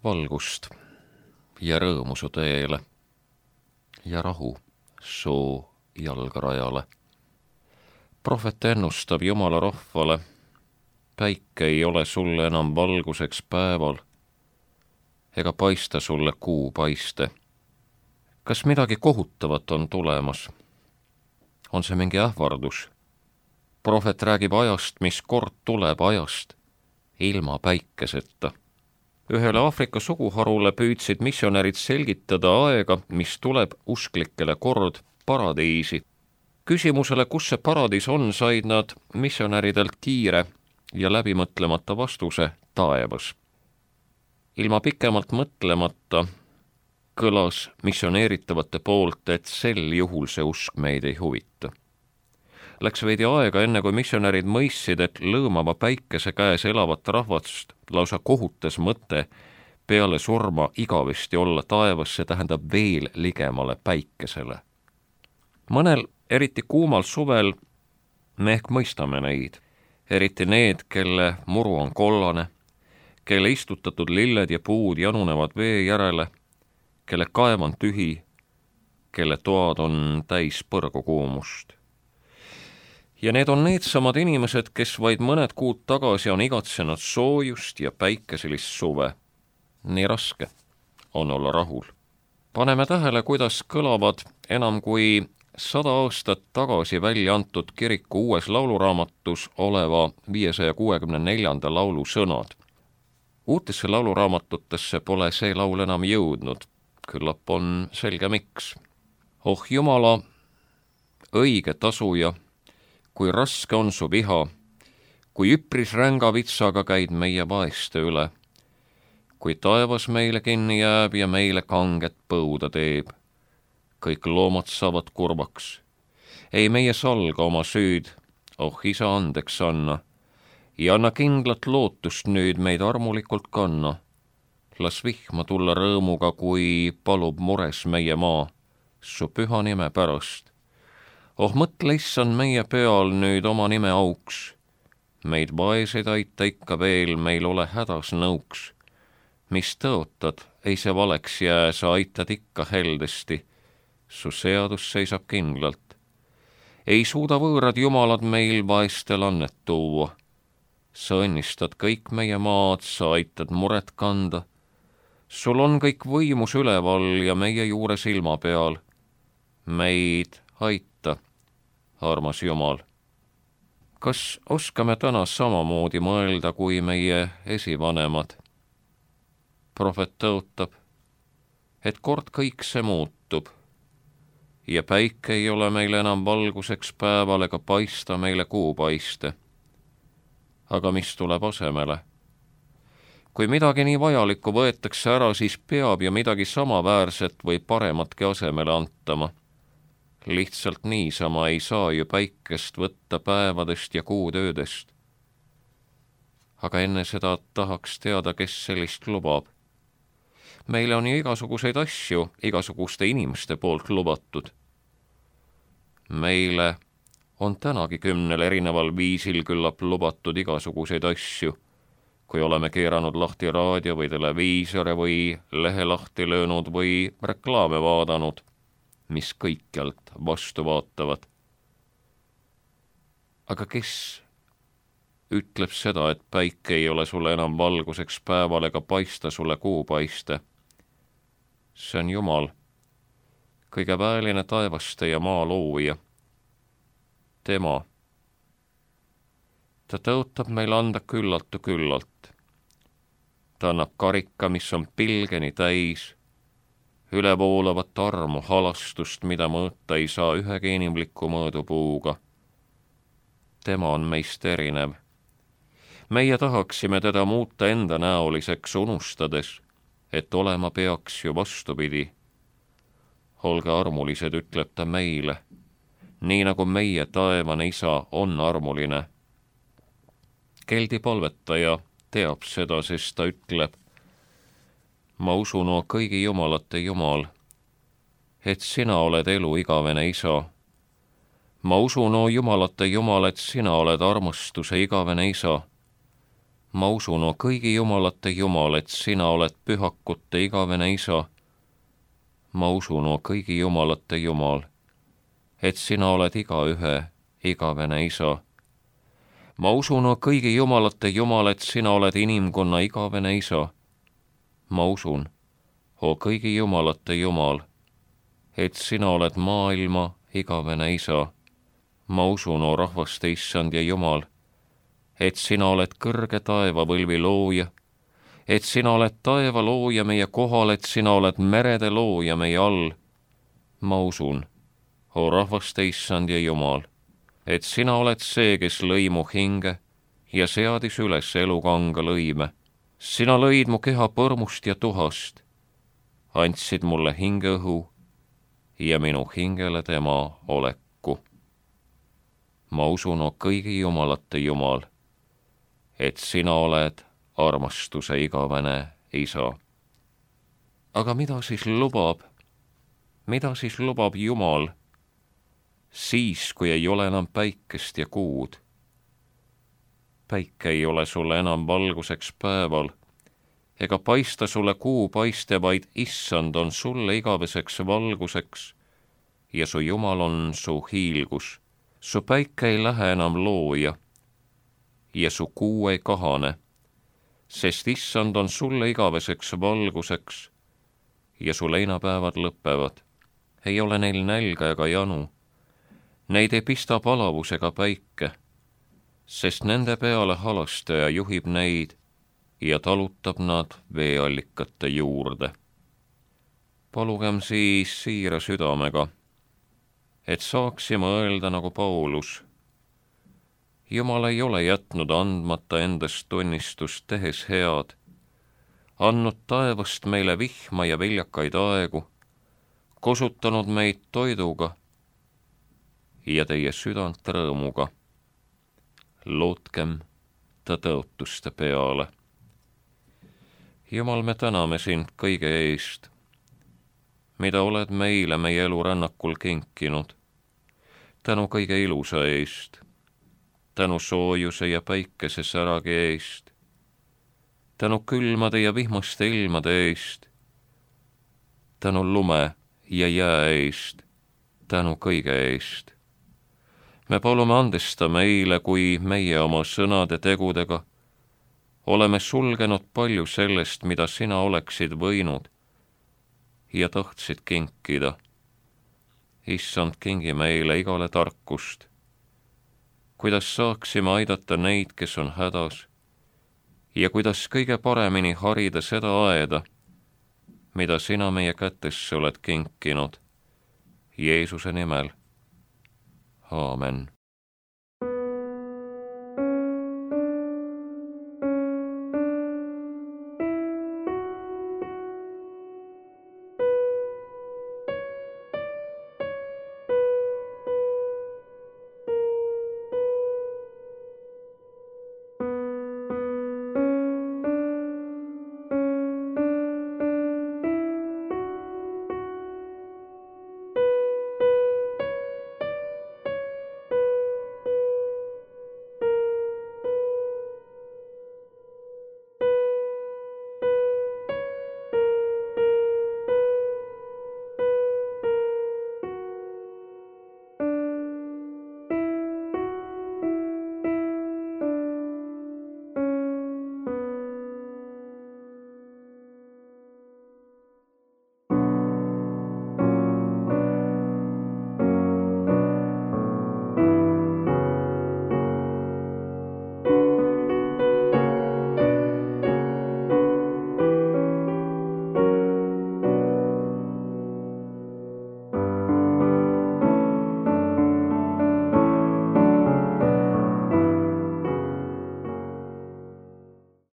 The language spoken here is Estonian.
valgust ja rõõmu su teele ja rahu su jalgrajale. Prohvet ennustab Jumala rahvale, päike ei ole sulle enam valguseks päeval ega paista sulle kuu paiste. Kas midagi kohutavat on tulemas? On see mingi ähvardus? Prohvet räägib ajast, mis kord tuleb, ajast ilma päikeseta. Ühele Aafrika suguharule püüdsid missionärid selgitada aega, mis tuleb usklikele kord paradiisi. Küsimusele, kus see paradiis on, said nad missionäridelt kiire ja läbimõtlemata vastuse: taevas. Ilma pikemalt mõtlemata kõlas missioneeritavate poolt, et sel juhul see usk meid ei huvita. Läks veidi aega, enne kui missionärid mõistsid, et lõõmava päikese käes elavat rahvast lausa kohutas mõte peale surma igavesti olla taevas, see tähendab veel ligemale päikesele. Mõnel, eriti kuumal suvel, me ehk mõistame neid, eriti need, kelle muru on kollane, kelle istutatud lilled ja puud janunevad vee järele, kelle kaev on tühi, kelle toad on täis põrgukuumust. Ja need on needsamad inimesed, kes vaid mõned kuud tagasi on igatsenud soojust ja päikeselist suve. Nii raske on olla rahul. Paneme tähele, kuidas kõlavad enam kui 100 aastat tagasi välja antud kiriku uues lauluraamatus oleva 564. laulu sõnad. Uutesse lauluraamatutesse pole see laul enam jõudnud. Küllap on selge miks. Oh Jumala, õige tasuja, kui raske on su viha, kui üpris ränga vitsaga käid meie vaeste üle, kui taevas meile kinni jääb ja meile kanget põuda teeb, kõik loomad saavad kurvaks. Ei meie salga oma süüd, oh isa andeks anna, ja anna kindlat lootust nüüd meid armulikult kanna. Las vihma tulla rõõmuga, kui palub mures meie maa, su püha nime pärast. Oh mõtle issand meie peal nüüd oma nime auks, meid vaeseid aita ikka veel, meil ole hädas nõuks. Mis tõotad, ei see valeks jää, sa aitad ikka heldesti, su seadus seisab kindlalt. Ei suuda võõrad jumalad meil vaestel annet tuua, sa õnnistad kõik meie maad, sa aitad muret kanda, sul on kõik võimus üleval ja meie juures ilma peal, meid aita, armas Jumal. Kas oskame täna samamoodi mõelda kui meie esivanemad? Prohvet tõotab, et kord kõik see muutub ja päike ei ole meile enam valguseks päeval ega paista meile kuu paiste. Aga mis tuleb asemele? Kui midagi nii vajalikku võetakse ära, siis peab ju midagi samaväärset või parematki asemele antama. Lihtsalt niisama ei saa ju päikest võtta päevadest ja kuutöödest. Aga enne seda tahaks teada, kes sellist lubab. Meile on ju igasuguseid asju igasuguste inimeste poolt lubatud. Meile on tänagi 10 erineval viisil küllap lubatud igasuguseid asju, kui oleme keeranud lahti raadio või televiisore või lehe lahti löönud või reklaame vaadanud, mis kõikjalt vastu vaatavad. Aga kes ütleb seda, et päike ei ole sulle enam valguseks päeval ega paista sulle kuu paiste? See on Jumal, kõige väeline taevaste ja maa looja. Tema. Ta tõotab meil anda küllaltu küllalt. Ta annab karika, mis on pilgeni täis, ülevoolavat armu, halastust, mida mõõta ei saa ühegi inimliku mõõdupuuga. Tema on meist erinev. Meie tahaksime teda muuta enda näoliseks, unustades, et olema peaks ju vastupidi. Olge armulised, ütleb ta meile, nii nagu meie taevane isa on armuline. Keldi palvetaja teab seda, sest ta ütleb, ma usun, o kõigi jumalate Jumal, et sina oled elu igavene isa. Ma usun, o jumalate Jumal, et sina oled armastuse igavene isa. Ma usun, o kõigi jumalate Jumal, et sina oled pühakute igavene isa. Ma usun, o kõigi jumalate Jumal, et sina oled igaühe igavene isa. Ma usun, o kõigi jumalate Jumal, et sina oled inimkonna igavene isa. Ma usun, o kõigi jumalate Jumal, et sina oled maailma igavene isa. Ma usun, o rahvaste issand ja Jumal, et sina oled kõrge taevavõlvi looja, et sina oled taeva looja meie kohal, et sina oled merede looja meie all. Ma usun, o rahvaste issand ja Jumal, et sina oled see, kes lõi mu hinge ja seadis üles elukanga lõime. Sina lõid mu keha põrmust ja tuhast, andsid mulle hingeõhu ja minu hingele tema oleku. Ma usun, o kõigi jumalate Jumal, et sina oled armastuse igavene isa. Aga mida siis lubab Jumal siis, kui ei ole enam päikest ja kuud? Päike ei ole sulle enam valguseks päeval, ega paista sulle kuu paiste, vaid issand on sulle igaveseks valguseks ja su Jumal on su hiilgus. Su päike ei lähe enam looja ja su kuu ei kahane, sest issand on sulle igaveseks valguseks ja su leinapäevad lõpevad. Ei ole neil nälga ega janu, neid ei pista palavus ega päike, sest nende peale halastaja juhib neid ja talutab nad veeallikate juurde. Palugem siis siira südamega, et saaksime öelda nagu Paulus. Jumal ei ole jätnud andmata endast tunnistust tehes head, andnud taevast meile vihma ja viljakaid aegu, kosutanud meid toiduga ja teie südant rõõmuga. Lootkem ta tõotuste peale. Jumal, me täname sind kõige eest, mida oled meile meie elurännakul kinkinud. Tänu kõige ilusa eest, tänu soojuse ja päikese säragi eest, tänu külmade ja vihmaste ilmade eest, tänu lume ja jää eest, tänu kõige eest. Me palume andesta meile, kui meie oma sõnade tegudega oleme sulgenud palju sellest, mida sina oleksid võinud ja tahtsid kinkida. Issand, kingi meile igale tarkust, kuidas saaksime aidata neid, kes on hädas, ja kuidas kõige paremini harida seda aeda, mida sina meie kätesse oled kinkinud. Jeesuse nimel. Aamen.